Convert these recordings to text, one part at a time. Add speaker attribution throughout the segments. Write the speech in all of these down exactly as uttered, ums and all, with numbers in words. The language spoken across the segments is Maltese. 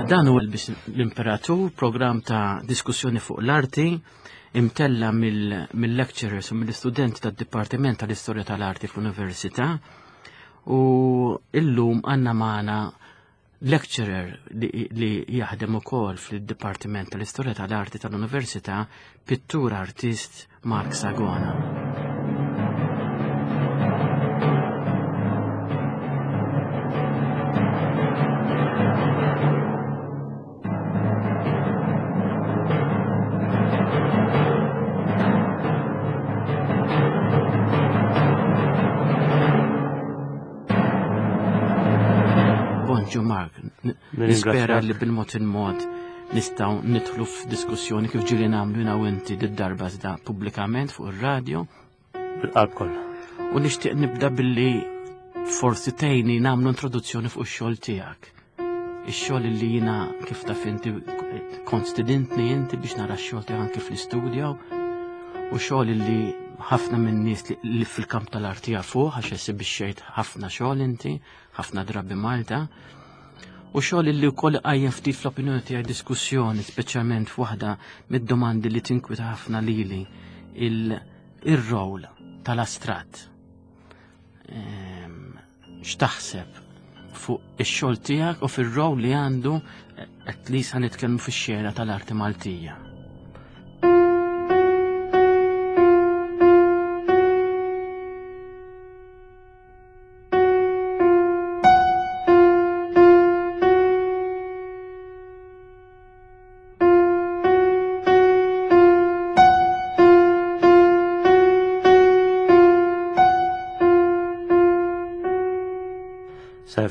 Speaker 1: Dan huwa l-Imperatur, programm ta' diskussjoni fuq l-arti, imtella mill-lecturers u mill-istudenti tad-Dipartiment tal-Istorja tal-Arti fl-Università. U illum għandna magħna lecturer li, li jaħdem ukoll fil-Dipartiment tal-Istorja tal-Arti tal-Università, pittur artist Mark Sagona. Bonġu Mark, nispera li bil-mod il-mod nistgħu nidħlu f'diskussjoni kif ġieli nagħmlu jiena u inti d-darba iżda pubblikament fuq ir-radju.
Speaker 2: Bil-qalb kollha.
Speaker 1: U nixtieq nibda billi forsi tgħinni nagħmlu introduzzjoni fuq ix-xogħol tiegħek. Ix-xogħol li jiena kif taf inti kont stidintni inti biex nara x-xogħol tiegħek anke fl-istudjo u xogħol li ħafna minn nies li fil-kamp tal-arti jafuh għax esibixxejt ħafna xogħol inti, ħafna drabi Malta. U xogħol li wkoll qajjem ftit fl-opinjoni tiegħi diskussjoni, speċjalment f'waħda mid-domandi li tinkwita ħafna lili, il-rol tal-astratt. X'taħseb fuq ix-xogħol tiegħek u fir-rol li għandu at least ħa nitkellmu fix-xena tal-arti Maltija.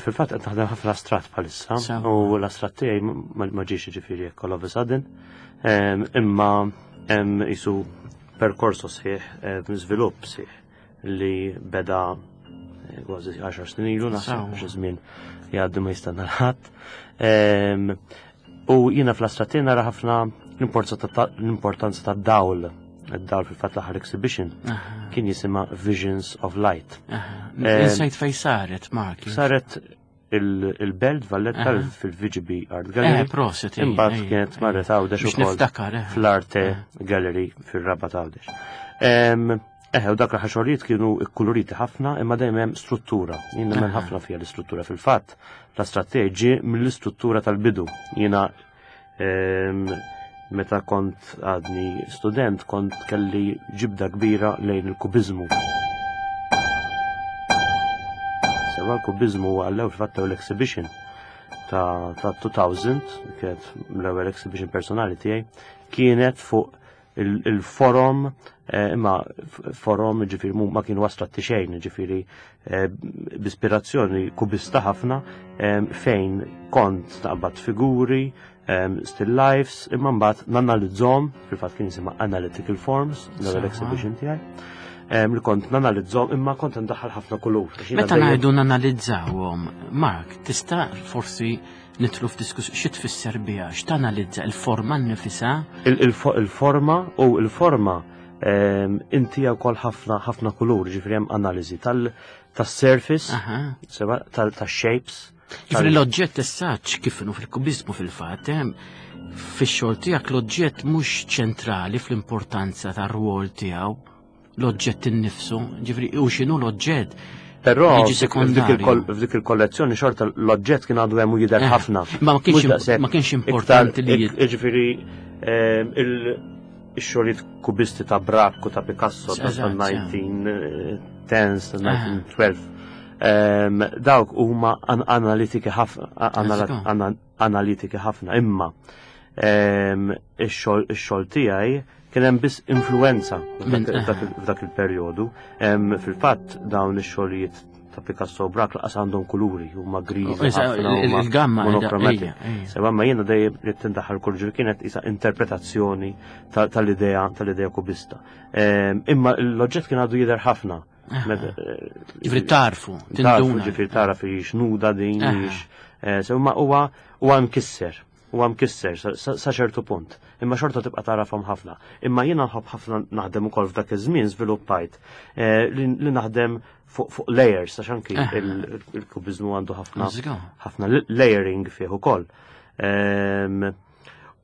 Speaker 2: Fil-fatt qed naħdem ħafna astratt bħalissa u l-astratt tiegħi ma ġiex jiġifieri hekk all of a sudden, imma hemm isu perkorso sħiħ, żvilupp sħiħ li beda kważi għaxar snin ilu naħseb xi żmien jgħaddi ma jistenna l-ħadd. U jiena fl-astratt tiegħi nara ħafna l-importanza tad-dawl. Id-dawl fil-fatt l-aħħar exhibition kien jisimha Visions of Light.
Speaker 1: Insejt fej saret, Mark.
Speaker 2: Saret il-Belt Valletta fil-V G B Art Gallery.
Speaker 1: Proset.
Speaker 2: Imbagħad kienet marret Għawdex ukoll fl-Arte Gallery fir-Rabat Għawdex. Eħe, u dak l-aħħar xogħlijiet kienu kkuluriti ħafna imma dejjem hemm struttura. Jien nemmen ħafna fiha l-istruttura fil-fatt. L-astratt ġie mill-istruttura tal-bidu. Jiena meta kont għadni student, kont kelli ġibda kbira lejn il-kubizmu. Sewa l-kubizmu huwa għall-ewwel fil-fatt l-ewwel exhibition ta' two thousand, kienet l-ewwel exhibition personali tiegħi, kienet fuq il-forum, imma forum ġifieri ma kienu astratti xejn, ġifieri b'ispirazzjoni kubista ħafna, fejn kont naqbad figuri, still lifes, imma mbagħad nanalizzhom, fil-fatt kien jisimha Analytical Forms, l-ewwel exhibition tiegħi, li kont nanalizzhom imma kont ndaħħal ħafna kulur.
Speaker 1: Meta ngħidu nanalizzawhom, Mark, tista' forsi nidħlu f'diskuss xi tfisser biha, x'tanalizza il-forma nnifisha?
Speaker 2: Il-forma u l-forma inti wkoll ħafna ħafna kulur, ġifieri hemm analiżi tas-surface, tax-shapes.
Speaker 1: Ġifieri l-oġġett essaċ kif inhu fil-kubizmu fil-fatt, fix-xogħol tiegħek l-oġġett mhux ċentrali fl-importanza tar-rwol tiegħu, l-oġġett innifsu, ġifieri u x'inhu l-oġġett.
Speaker 2: Però f'dik il-kollezzjoni xorta l-oġġett kien għadu hemm u jidher ħafna.
Speaker 1: Ma kienx importanti li
Speaker 2: jiġifieri ix-xogħlijiet kubisti ta' Braque u ta' Picasso ta' nineteen tens, ta' nineteen twelve. Dawk huma analitiki ħafna, analitiki ħafna, imma ix-xogħol tiegħi kien hemm biss influenza f'dak il-perjodu. Fil-fatt dawn ix-xogħlijiet ta' Picasso u Braque laqas għandhom kuluri, huma griżi ħafna,
Speaker 1: il-gamma
Speaker 2: monocromatic. Sewa ma jiena dejjem li tindaħħal kull ġur kienet isa interpretazzjoni tal-idea tal-idea kubista. Imma l-oġġett kien għadu jidher ħafna.
Speaker 1: Ġifieri tarfu, tinduna.
Speaker 2: Ġifieri taraf hix nuda din, hix. Sewa huwa huwa mkisser. Huwa mkisser sa ċertu punt. Imma xorta tibqa' tarafhom ħafna. Imma jiena nħobb ħafna naħdem ukoll f'dak iż-żmien żviluppajt li naħdem fuq layers, għax anki il-kubizmu għandu ħafna ħafna layering fih ukoll.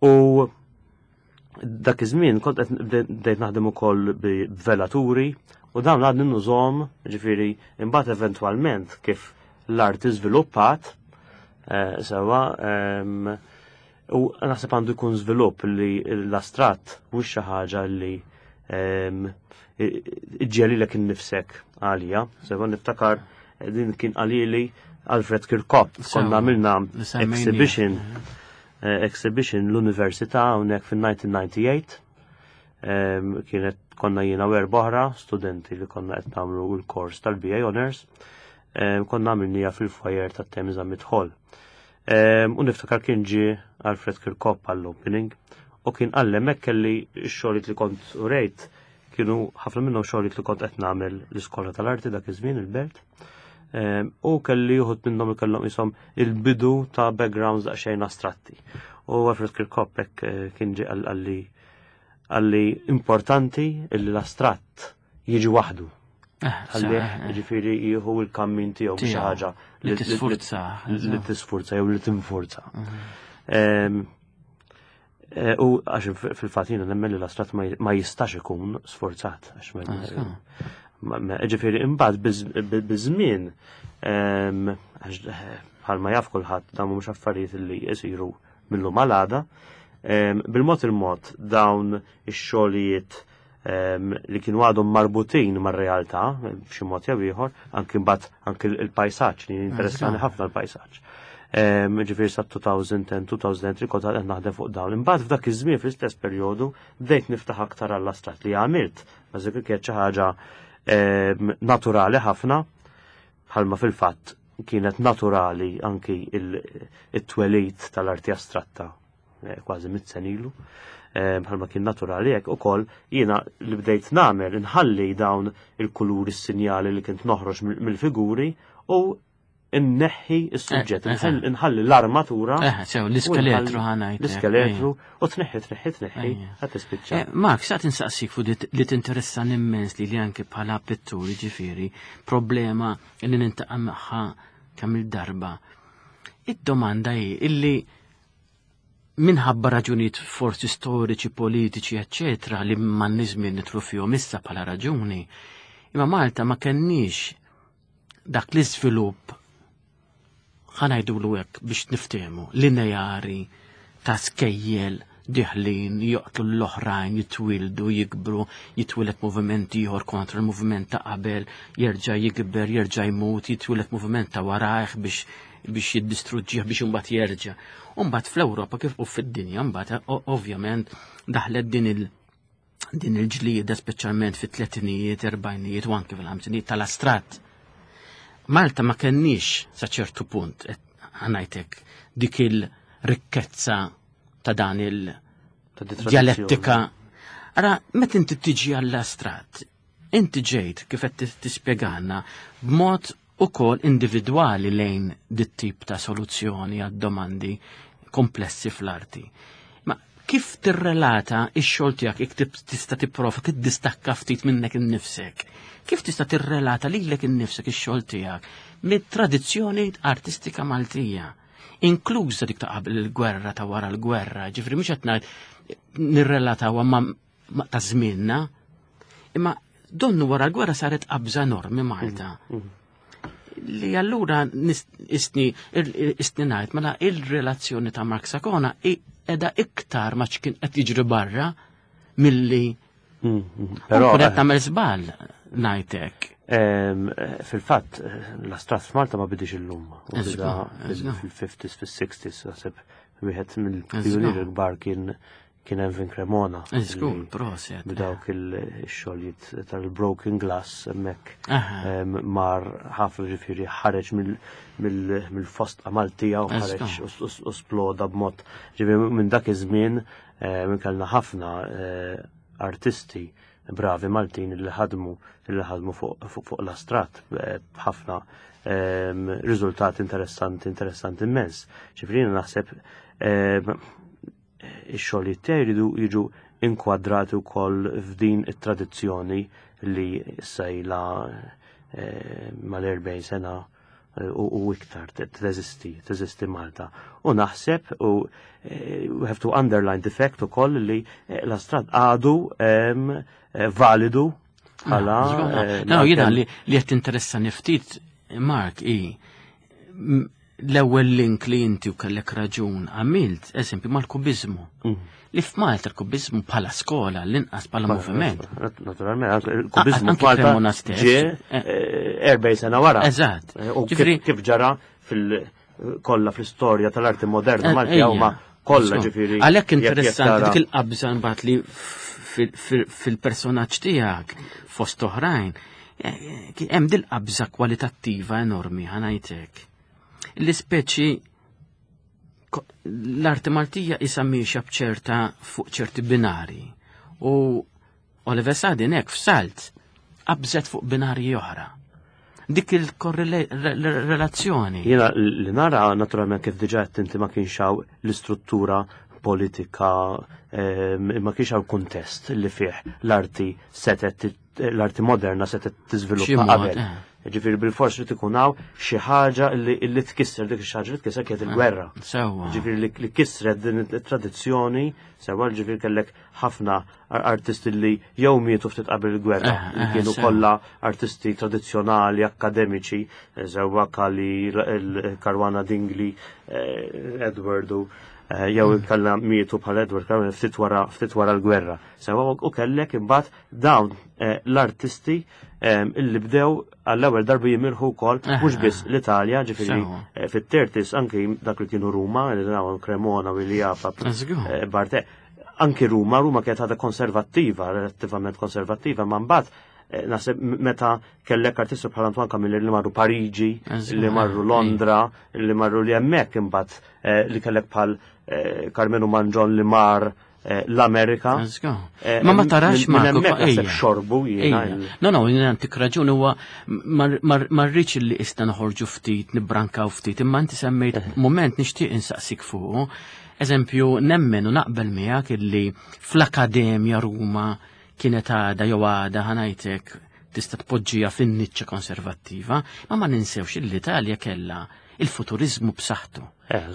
Speaker 2: U dak iż-żmien kont qed bdejt naħdem ukoll b'velaturi u dawn għadni nużhom, ġifieri imbagħad eventwalment kif l-arti żviluppat eh, sewa u naħseb għandu jkun żvilupp li l-astratt mhux xi ħaġa li iġġelilek innifsek għalija. Sewa niftakar din kien qalili Alfred Kirkop, konna għamilna exhibition eh, exhibition l-Università hawnhekk fin-elf disa' mija u disgħa u disgħin. Kienet konna jiena u erba' oħra studenti li konna qed nagħmlu l-kors tal-B A Honors. Konna għamilniha fil-foyer ta' Temi Zammit Hall. U niftakar kien ġie Alfred Kirkop għall-opening u kien għallem hekk kelli x-xogħlijiet li kont urejt, kienu ħafna minnhom xogħlijiet li kont qed nagħmel l-iskola tal-arti dak iż-żmien il-Belt. U kelli uħud minnhom kellhom isom il-bidu ta' backgrounds daqsxejn astratti. U Alfred Kirkop hekk eh, kien ġie qalli qalli importanti illi l-astratt jiġi waħdu.
Speaker 1: Eh,
Speaker 2: Ħallih
Speaker 1: eh,
Speaker 2: ġifieri jieħu il-kammin tiegħu xi
Speaker 1: Tiegħu.
Speaker 2: ħaġa
Speaker 1: Li tisfurza.
Speaker 2: li tisfurza jew li tinfurza. Em, eh, U għax fil-fatt jiena nemmen li l-astratt ma ma jistax ikun sforzat. Għax ma- ma- ma- Ġifieri imbagħad biż- biż-żmien em, għax eh, bħalma jaf kulħadd dawn mhux affarijiet li jsiru mill-lum għal għada. Em, Bil-mod il-mod dawn ix-xogħlijiet em, li kienu għadhom marbutin mar-realtà b'xi mod jew ieħor, anki mbagħad anki il-pajsaġġ li interessani ħafna l-pajsaġġ. Em, Ġifieri sa elfejn u għaxra, elfejn u tlieta kont qed naħdem fuq dawn. Imbagħad f'dak iż-żmien fl-istess perjodu bdejt niftaħ aktar għall-astratt li għamilt. Bażikament kienet xi ħaġa em, naturali ħafna, bħalma fil-fatt kienet naturali anki il-twelid tal-arti astratta eh, kważi mitt sena ilu. Eh, Bħalma kien naturali hekk ukoll jiena li bdejt nagħmel inħalli dawn il-kuluri, s-sinjali li kint noħroġ mill- mill-figuri u inneħħi s-suġġett,
Speaker 1: Eh, eh.
Speaker 2: inħalli l-armatura.
Speaker 1: Eh, sew, l-iskeletru ħa ngħidlek.
Speaker 2: L-iskeletru u tneħħi, tneħħi, tneħħi,
Speaker 1: Ejja.
Speaker 2: ħa tispiċċa.
Speaker 1: Eh, Mark, sa tinsaqsik fuq dit- li tinteressani immens li li anke bħala pitturi, ġifieri, problema li niltaqa' magħha kemm il-darba. Id-domanda hi illi minħabba raġunijiet forsi storiċi, politiċi, eccetera, li m'għandniex żmien nidħlu fihom issa bħala raġuni, imma Malta ma kenniex dak l-iżvilupp, ħa ngħidulu hekk biex niftehmu, lineari ta' skejjel diħlin, joqtlu l-oħrajn, jitwildu, jikbru, jitwieled moviment ieħor kontra l-moviment ta' qabel, jerġa' jikber, jerġa' jmut, jitwieled moviment ta' warajh biex biex jiddistruġġih biex imbagħad jerġa'. U mbagħad fl-Ewropa kif u fid-dinja mbagħad o- ovvjament daħlet din il- din il-ġlieda speċjalment fit-tletinijiet, erbajnijiet u anke fil-ħamsinijiet tal-astratt. Malta ma kenniex sa ċertu punt, et- ħa ngħidlek, dik il-rikkezza ta' dan
Speaker 2: Ta' di tradizzjoni.
Speaker 1: il-dialettika. Ara, meta inti tiġi għall-astratt, inti ġejt kif qed tispjegana b'mod ukoll individwali lejn dit tip ta' soluzzjoni għad domandi komplessi fl-arti. Ma kif tirrelata ix-xogħol tiegħek, jekk tib- tista' tipprova tiddistakka ftit minnek innifsek? Kif tista' tirrelata lilek innifsek ix-xogħol tiegħek mit-tradizzjoni artistika Maltija? Inkluża dik ta' qabel il-gwerra, ta' wara l-gwerra, ġifieri mhux qed ngħid nirrelatawha ma' ma' ta' żmienna, imma donnu wara l-gwerra saret qabża enormi Malta. Li allura nis- isni il- isni ngħid mela il-relazzjoni ta' Mark Sakona qiegħda iktar ma x'kien qed jiġri barra milli
Speaker 2: Mm, mm.
Speaker 1: però
Speaker 2: Però
Speaker 1: qed tagħmel żball ngħidlek.
Speaker 2: Em, eh, fil-fatt, eh, l-astratt f'Malta ma bidix illum. U
Speaker 1: Eżgu,
Speaker 2: bida
Speaker 1: eżgu.
Speaker 2: fil-fifties, fil-sixties, naħseb wieħed mill-pionieri kbar kien kien Ervin Cremona.
Speaker 1: Eżgu,
Speaker 2: li
Speaker 1: proset.
Speaker 2: b'dawk il-xogħlijiet tal-broken glass hemmhekk
Speaker 1: Aha.
Speaker 2: em, mar ħafna, ġifieri ħareġ mill- mill-fosdqa Maltija u ħareġ
Speaker 1: Eżgu.
Speaker 2: u s- u sploda b'mod. Ġifieri minn dak iż-żmien minn kellna ħafna eh, artisti bravi Maltin li ħadmu li ħadmu fuq fuq- fuq l-astratt eh, b'ħafna em, riżultati interessanti interessanti immens. Ġifieri jiena naħseb em, ix-xogħlijiet tiegħi jridu jiġu inkwadrati wkoll f'din it-tradizzjoni li issa ilha eh, mal-erbgħin sena u iktar teżisti, teżisti Malta. U naħseb u we have to underline the fact ukoll li l-astratt għadu validu bħala.
Speaker 1: No, jiena li qed interessani ftit, Mark, i l-ewwel link li inti u kellek raġun għamilt, eżempju, mal-kubizmu. Li f'Malta l-kubizmu bħala skola, l-inqas bħala moviment.
Speaker 2: Naturalment, il-kubizmu f'Malta ġie erbgħin sena wara.
Speaker 1: Eżatt.
Speaker 2: U kif ġara fil-kollha fl-istorja tal-arti moderna Malti huma kollha ġifieri.
Speaker 1: Għalhekk interessanti dik il-qabża mbagħad li fil-personaġġ tiegħek fost oħrajn hemm dil-qabża kwalitattiva enormi, ħa ngħidlek. L-ispeċi l-arti Maltija isa miexa bċerta fuq ċerti binari. U Oliver Sadin hekk f'salt qabżet fuq binari oħra. Dik il-korrelazzjoni.
Speaker 2: Jiena li nara naturalment kif diġà qed inti ma kienx hawn l-istruttura politika, ma kienx hawn kuntest li fih l-arti setet l-arti moderna setet tiżviluppa qabel. Ġifieri bil-fors li tkun hawn xi ħaġa li tkisser dik ix ħaġa li tkisser kienet il-gwerra. Ġifieri li kisret din it-tradizzjoni, sewa ġifieri kellek ħafna artisti li jew mietu ftit qabel il-gwerra, li kienu kollha artisti tradizzjonali, akademiċi, sewa Kali, Caruana Dingli, Edward u jew kellna mietu bħal Edward Caruana ftit wara ftit wara l-gwerra. Sewa u kellek imbagħad dawn l-artisti illi bdew għall-ewwel darba jimirħu wkoll mhux biss l-Italja, ġifieri fit-thirties anki dak li kienu Ruma, li dawn Cremona u Iliapa, Barte, anki Ruma, Ruma kienet għadha konservattiva, relattivament konservattiva, ma mbagħad naħseb meta kellek artisti bħal Antoine Camilleri li marru Pariġi, li marru Londra, li marru li hemmhekk imbagħad li kellek bħal Karmenu Mangion li mar l-Amerika.
Speaker 1: Ma ma tarax
Speaker 2: ma hemmhekk xorbu jiena.
Speaker 1: No, no, jiena għandek raġun huwa ma rridx li issa noħorġu ftit, nibrankaw ftit, imma inti semmejt moment nixtieq insaqsik fuq. Eżempju, nemmen u naqbel miegħek illi fl-Akademja Ruma kienet għada jew għada ħa ngħidlek tista' tpoġġiha fin-niċċa konservattiva, ma ma ninsewx l-Italja kellha il-futurizmu b'saħħtu.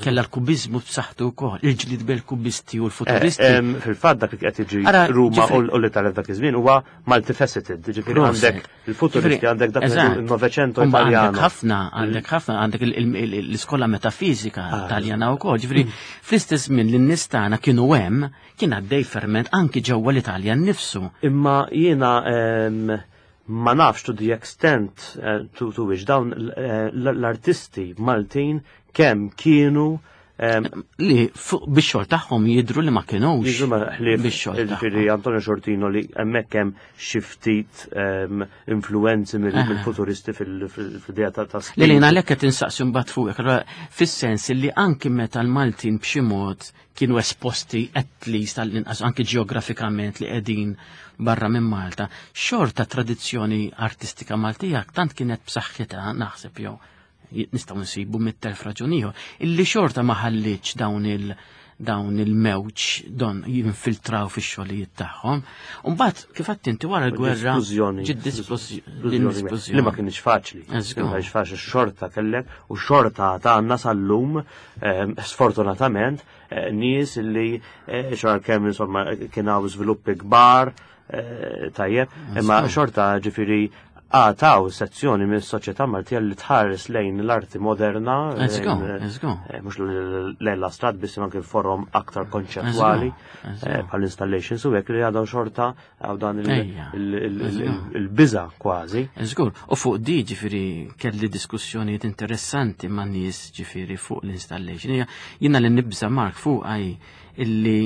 Speaker 1: Kellha l-kubizmu b'saħħtu wkoll, il-ġlid bil-kubisti u l-futuristi.
Speaker 2: Fil-fatt dak li qed jiġi Ruma u l-Italja f'dak iż-żmien huwa multifaceted, ġifieri għandek il-futuristi, għandek dak il-Novecento Italjano.
Speaker 1: Għandek ħafna, għandek ħafna, għandek l-iskola metafizika Taljana wkoll, ġifieri fl-istess żmien li n-nies tagħna kienu hemm, kien għaddej ferment anki ġewwa l-Italja nnifsu.
Speaker 2: Imma jiena ma nafx to the extent to, to which dawn l-artisti Maltin kemm kienu
Speaker 1: li bix-xogħol tagħhom jidhru li ma kinux.
Speaker 2: Jidhru ma ħlief ġifieri Antonio Sciortino li hemmhekk hemm xi ftit influenzi mill-futuristi fil-idea ta'
Speaker 1: Li li għalhekk qed insaqsi mbagħad fuqek, fis-sens li anki meta l-Maltin b'xi mod kienu esposti at least għall-inqas anki ġeografikament li qegħdin barra minn Malta, xorta tradizzjoni artistika Maltija tant kienet b'saħħitha naħseb jew nistgħu nsibu mit-telf raġun illi xorta ma ħalliċ dawn il dawn il-mewġ don jinfiltraw fix-xogħlijiet tagħhom. U mbagħad kif għedt inti wara l-gwerra
Speaker 2: ġiet Li ma kienx faċli. Ma kienx faċli xorta kellek u xorta għandna sal-lum sfortunatament nies li xorta kemm insomma kien hawn żviluppi kbar tajjeb, imma xorta ġifieri għataw sezzjoni minn soċjetà Maltija li tħares lejn l-arti moderna, mhux lejn l-astratt biss anke forom aktar konċettwali bħal installations u hekk li għadhom xorta għaw dan il-biża kważi.
Speaker 1: Żgur, u fuq di ġifieri kelli diskussjonijiet interessanti ma' nies ġifieri fuq l-installation. Jiena li nibża Mark fuq għaj illi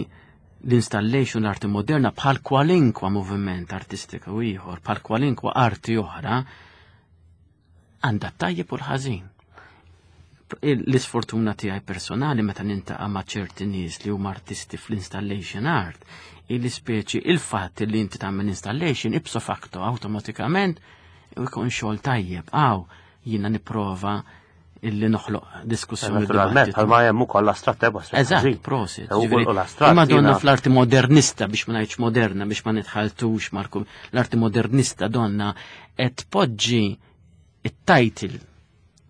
Speaker 1: l-installation l-arti moderna bħal kwalinkwa moviment artistika u ieħor, bħal kwalinkwa arti oħra, għandha tajjeb u l-ħażin. L-isfortuna tiegħi personali meta nintaqa' ma' ċerti nies li huma artisti fl-installation art, il-ispeċi il-fatt li inti tagħmel installation ipso facto awtomatikament ikun xogħol tajjeb. Aw, jiena nipprova illi noħloq diskussjoni.
Speaker 2: Naturalment, bħalma hemm ukoll l-astratt eba.
Speaker 1: Eżatt, prosit. Imma donna fl-arti modernista biex ma ngħidx moderna biex ma nitħaltux Marku, l-arti modernista donna qed poġġi it-title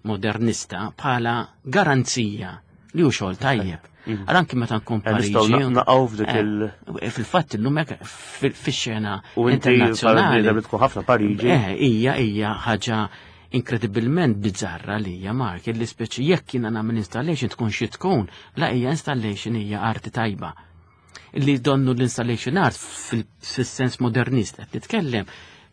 Speaker 1: modernista bħala garanzija li hu xogħol tajjeb.
Speaker 2: Mhm.
Speaker 1: Għal anki meta nkun
Speaker 2: Eh, Nistgħu
Speaker 1: Pariġi.
Speaker 2: naqgħu f'dik
Speaker 1: eh,
Speaker 2: il-
Speaker 1: Fil-fatt illum hekk fil- fix-xena
Speaker 2: U inti bħala
Speaker 1: internazzjonali.
Speaker 2: bniedem li tkun ħafna Pariġi.
Speaker 1: Eh, hija hija ħaġa inkredibilment bizzarra li hija Mark, illi speċi jekk jiena nagħmel installation tkun xi tkun, la hija installation hija arti tajba. Illi donnu l-installation art fil- fis-sens modernist qed nitkellem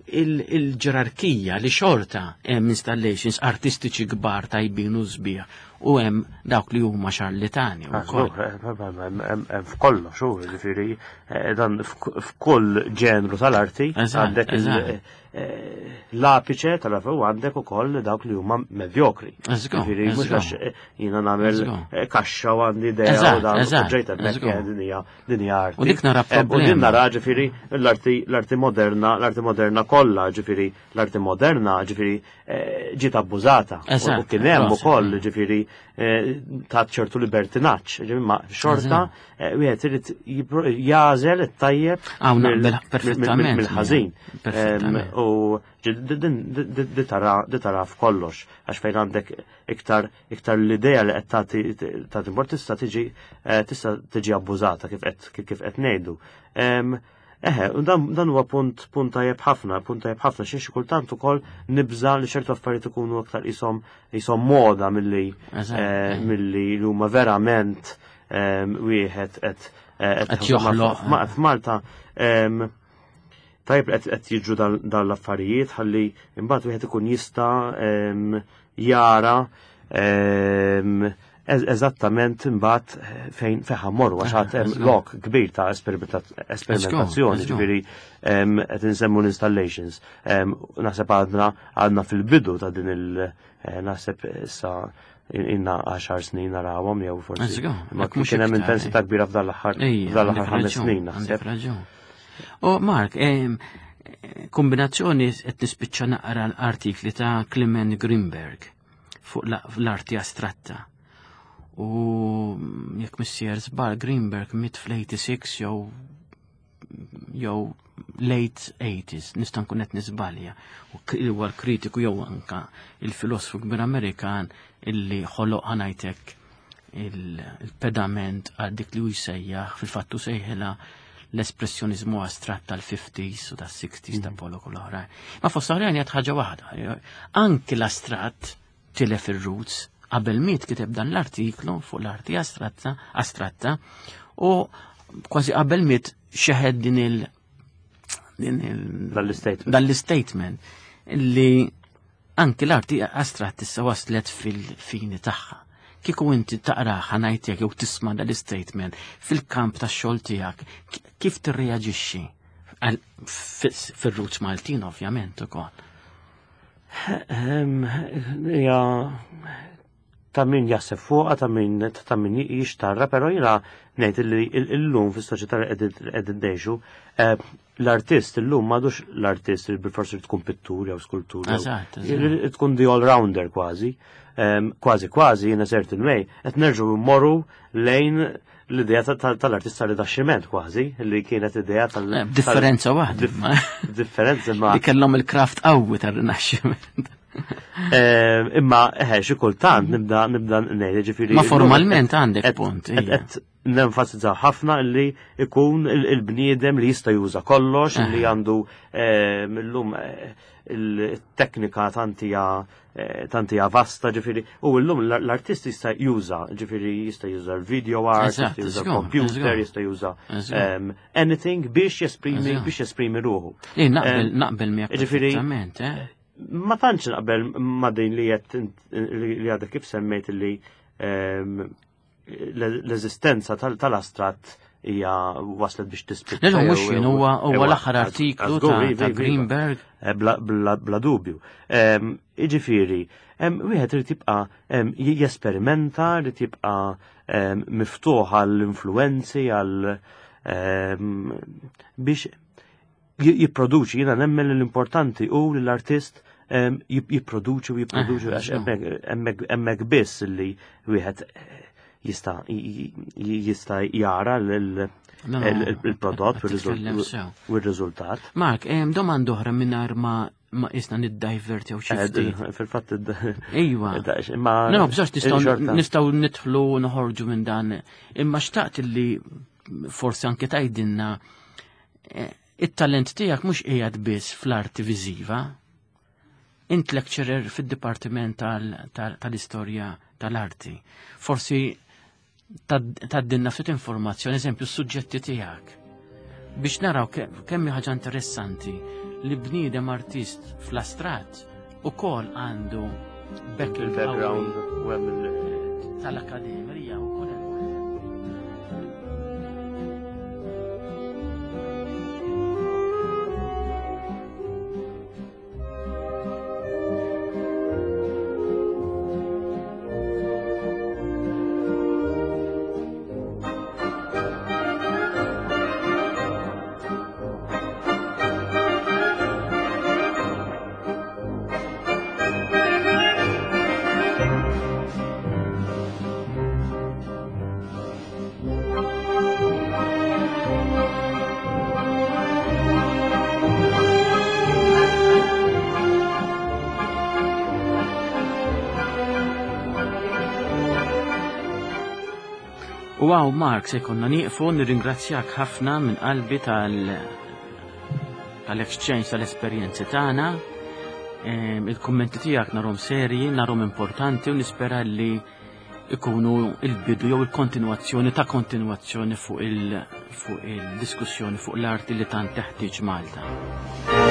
Speaker 1: il- il-ġerarkija li xorta hemm installations artistiċi kbar tajbin u sbieħ u hemm dawk li huma xarlitani
Speaker 2: Ah,
Speaker 1: wkoll.
Speaker 2: żgur, eh, hemm- hemm hemm f'kollox, u ġifieri eh, dan f'k- f'kull ġenru tal-arti
Speaker 1: Eżatt,
Speaker 2: għandek il-
Speaker 1: eżatt.
Speaker 2: eh, l-apiċe tal-arti u għandek ukoll dawk li huma medjokri.
Speaker 1: Eżgur,
Speaker 2: Ġifieri mhux
Speaker 1: eżgur.
Speaker 2: għax eh, jiena nagħmel
Speaker 1: Eżgur.
Speaker 2: eh, kaxxa u għandi idea u
Speaker 1: Eżatt,
Speaker 2: dan u
Speaker 1: eżatt,
Speaker 2: ġejt hemmhekk
Speaker 1: eżgur.
Speaker 2: eh, din hija din hija arti.
Speaker 1: U dik nara
Speaker 2: Eh, U din
Speaker 1: problema.
Speaker 2: nara ġifieri l-arti l-arti moderna, l-arti moderna kollha, ġifieri l-arti moderna, ġifieri eh, ġiet abbużata. U-
Speaker 1: Eżatt,
Speaker 2: U kien hemm
Speaker 1: proset,
Speaker 2: ukoll
Speaker 1: mm.
Speaker 2: ġifieri eh, ta' ċertu libertinaġġ, ġifieri ma xorta eh, wieħed irid jipro- jagħżel it-tajjeb
Speaker 1: Hawn
Speaker 2: mill-
Speaker 1: naqbel perfettament.
Speaker 2: mill-ħażin.
Speaker 1: Perfettament.
Speaker 2: Em, U ġi- di- din- di di- di tara di tara f'kollox għax fejn għandek iktar iktar l-idea li qed tagħti tagħti import tista' tiġi eh, tista' tiġi abbużata kif qed kif qed ngħidu. Em, Eħe, u dan dan huwa punt punt tajjeb ħafna, punt tajjeb ħafna xi xi kultant ukoll nibża li ċertu affarijiet ikunu aktar qishom qishom moda milli
Speaker 1: Eżatt,
Speaker 2: eh,
Speaker 1: eh.
Speaker 2: milli li huma verament em, wieħed qed eh,
Speaker 1: Qed joħloq.
Speaker 2: Ma- F'Malta em, tajjeb li qed qed jiġru dan dan l-affarijiet ħalli imbagħad wieħed ikun jista' em, jara em, eż- eżattament imbagħad fejn fejn ħa mmorru għax għad hemm
Speaker 1: Eżatt.
Speaker 2: lok kbir ta' esperimenta- esperimentazzjoni,
Speaker 1: Eżatt.
Speaker 2: ġifieri em, qed insemmu l-installations. Em, Naħseb għadna għadna fil-bidu ta' din il- eh, naħseb issa inna għaxar snin narawhom jew forsi.
Speaker 1: Eżatt,
Speaker 2: Ma
Speaker 1: jekk mhux
Speaker 2: kien hemm
Speaker 1: iktar,
Speaker 2: intensità kbira f'dan l-aħħar
Speaker 1: Ejja,
Speaker 2: f'dan l-aħħar
Speaker 1: għandek
Speaker 2: ħames
Speaker 1: raġun,
Speaker 2: snin
Speaker 1: għandek
Speaker 2: naħseb.
Speaker 1: raġun. U Mark, em, kombinazzjoni qed nispiċċa naqra l-artikli ta' Clement Greenberg fuq la- l-arti astratta. U jekk missier żball Greenberg miet fl-eighty-six jew jew late eighties, nista' nkun qed niżbalja. U k- huwa l-kritiku jew anka il-filosfu kbir Amerikan illi ħoloq ħa ngħidlek il-pedament għal dik li hu jsejjaħ fil-fattu sejħilha l-espressjonizmu astratt tal-fifties u tas-sixties ta' Pollock u l-oħrajn. Ma fost oħrajn jgħid ħaġa waħda. Anki l-astratt tilef ir-roots qabel miet kiteb dan l-artiklu fuq l-arti astratta, astratta u kważi qabel miet xeħed din il- din il-
Speaker 2: Dan l-statement.
Speaker 1: dan l-statement li anki l-arti astratt issa waslet fil-fini tagħha. Kieku inti taqra ħa ngħidlek jew tisma' dal-statement fil-kamp tax-xogħol tiegħek, ki- kif tirreaġixxi? Għal- fis- Fir-roots Maltin ovvjament ukoll.
Speaker 2: Ehm, Ja, ta' min jaħseb fuqha, ta' min ta' min jixtarra, però jiena ngħid li illum fis-soċjetà li qegħdin ngħixu, eh, l-artist illum m'għadux l-artist li bil-forsi tkun pittur jew skultur. jew-
Speaker 1: Eżatt, eżatt.
Speaker 2: Tkun the all-rounder kważi. Ehm, Kważi kważi in a certain way, qed nerġgħu mmorru lejn l-idea ta- ta- tal-artista Rinaxximent kważi, li kienet idea tal-
Speaker 1: Eh, Differenza waħda.
Speaker 2: Dif-
Speaker 1: ma-
Speaker 2: Differenza ma
Speaker 1: Li kellhom il-craft qawwi tar-Rinaxximent.
Speaker 2: Eh, Imma eħe, xi kultant nibda nibda ngħid, ġifieri.
Speaker 1: Ma formalment għandek
Speaker 2: qed-
Speaker 1: punt,
Speaker 2: qed-
Speaker 1: ija.
Speaker 2: qed nenfasizzaw ħafna li ikun il- il-bniedem li jista' juża kollox, li għandu eh, illum eh, il-teknika tantija eh, tantija vasta, ġifieri, u llum l- l-artist jista' juża, ġifieri jista' juża l-video art,
Speaker 1: Eżatt,
Speaker 2: jista' juża
Speaker 1: żgur,
Speaker 2: l-computer,
Speaker 1: żgur.
Speaker 2: jista' juża
Speaker 1: Żgur.
Speaker 2: em, anything biex jesprimi
Speaker 1: Żgur.
Speaker 2: biex jesprimi ruħu.
Speaker 1: Eh, naqbel
Speaker 2: Em,
Speaker 1: naqbel miegħek
Speaker 2: ġifieri-
Speaker 1: perfettament, eh?
Speaker 2: Ma tantx naqbel ma din li qed li għadek kif semmejt li ehm, l-eżistenza tal- tal-astratt hija waslet biex tispiċċa.
Speaker 1: Le, le, mhux
Speaker 2: jew-
Speaker 1: jien huwa huwa
Speaker 2: jew-
Speaker 1: l-aħħar artiklu
Speaker 2: għażgur,
Speaker 1: ta'
Speaker 2: iva,
Speaker 1: ta'
Speaker 2: iva, iva.
Speaker 1: Greenberg.
Speaker 2: Eh, Bla, bla, bla dubju. Em, Iġifieri, em, wieħed irid jibqa' em, j- jesperimenta, irid jibqa' em, miftuħ għall-influenzi, għal em, biex j- jipproduċi, jiena nemmen li l-importanti u li l-artist em, jip- jipproduċi u jipproduċi
Speaker 1: Eh,
Speaker 2: għax
Speaker 1: żgur.
Speaker 2: hemmhekk- hemmhekk hemmhekk biss li wieħed eh, jista' j- j- jista' jara l-
Speaker 1: No, no,
Speaker 2: il- il-prodott
Speaker 1: qed titkellem sew.
Speaker 2: u r-riżultat.
Speaker 1: Mark, em, domanda oħra mingħajr ma Ma isna niddajverti u xi ftit.
Speaker 2: Fil-fatt
Speaker 1: Ejwa.
Speaker 2: Imma
Speaker 1: No, bżax nistgħu nistgħu nidħlu u noħorġu minn dan. Imma xtaqt li forsi anke tgħidilna eh, it-talent tiegħek mhux qiegħed biss fl-arti viżiva. Int lecturer fid-Dipartiment tal-Istorja tal-Arti. Forsi tgħaddilna ftit informazzjoni, eżempju, s-suġġetti tiegħek. Biex naraw kemm ħaġa interessanti li bniedem artist fl-astrat ukoll għandu
Speaker 2: il-background u hemm
Speaker 1: tal-akademija u kol U għaw Mark se jkollna nieqfu, nirringrazzjak ħafna minn qalbi tal tal-exchange tal-esperjenzi tagħna. Il-kummenti tiegħek narhom serji, narhom importanti u nispera li ikunu il-bidu jew il-kontinwazzjoni ta' kontinwazzjoni fuq il fuq il-diskussjoni fuq l-arti li tant teħtieġ Malta.